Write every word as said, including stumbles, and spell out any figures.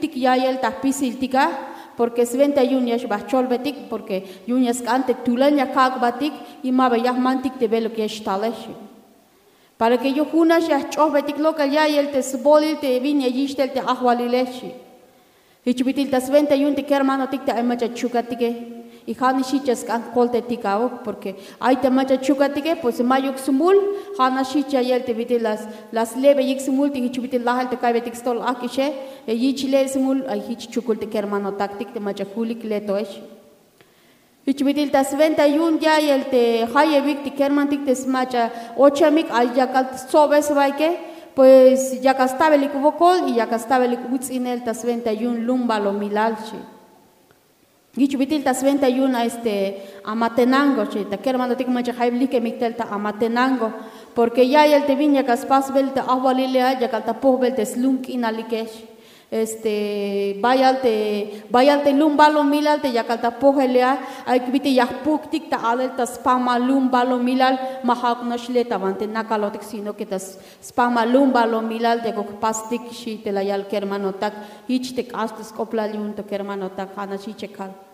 tik ya'iyel ta jpisiltik a, porke swenta yu'un ya xba jcholbetik porke yu'un ya sk'an te tulan ya kak'batik y ma ba ya jmantik te beluk ya xtale xchi. Para ke yu'un jun nax ya jch'ojbetik lok'el ya'iyel te sbolil te bin ya yich' tel te ajwalile xchi. Jich bit'il ta swenta yu'un te kermanotik te ay mach'a chukatike y ja' nax jich ya sk'an jkoltetik a'uk porke ay te mach'a chukatike pues mayuk smul. Ja' nax jich ya ya'iyel te bit'il la slebeyik smul te jich bit'il lajel te ka'iybetik stol ajk'ixe, ya yich' leel smul ay jich chukul te kermanotaktik te mach'a julik letoex. Jich bit'il ta swenta yu'un ya'iyel te jayebik te kermanotik te smach'a ochamik ay yakal stsobesbaike, pues yakal stabelik wokol y yakal stabelik uts'inel ta swenta yu'un lumbalomilal xchi. Jich bit'il ta swenta yu'un a este Amatenango xchi, ta kermanotik mach'a jayeb likemik tel ta Amatenango, porke ya'iyel te bin yakal spasbel te ajwalile a yakal ta pojbel te slum k'inalike xchi. Este bayal te bayal te lumbalomilal te yakal ta pojele a, ay bit'il ya jpuktik ta alel ta spamal lumbalomilal, ma ja'uk nax le ta banti nakalotik sino ke ta spamal lumbalomilal yakuk jpastik xchi te la yal kermanotak. Jich te k'ax te sk'oplal yu'un to kermanotak ja' nax jich ya kal.